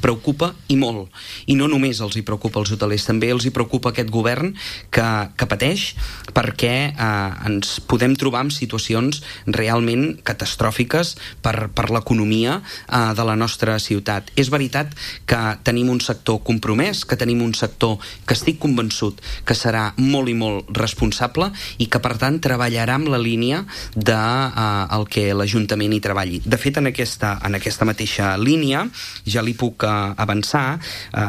preocupa i molt, i no només els hi preocupa als hotelers, també els hi preocupa aquest govern que pateix perquè ens podem trobar en situacions realment catastròfiques per l'economia de la nostra ciutat. És veritat que tenim un sector compromès, que tenim un sector que estic convençut que serà molt i molt responsable i que per tant treballarà amb la línia del que l'Ajuntament hi treballi. De fet, en aquesta mateixa línia ja li puc avançar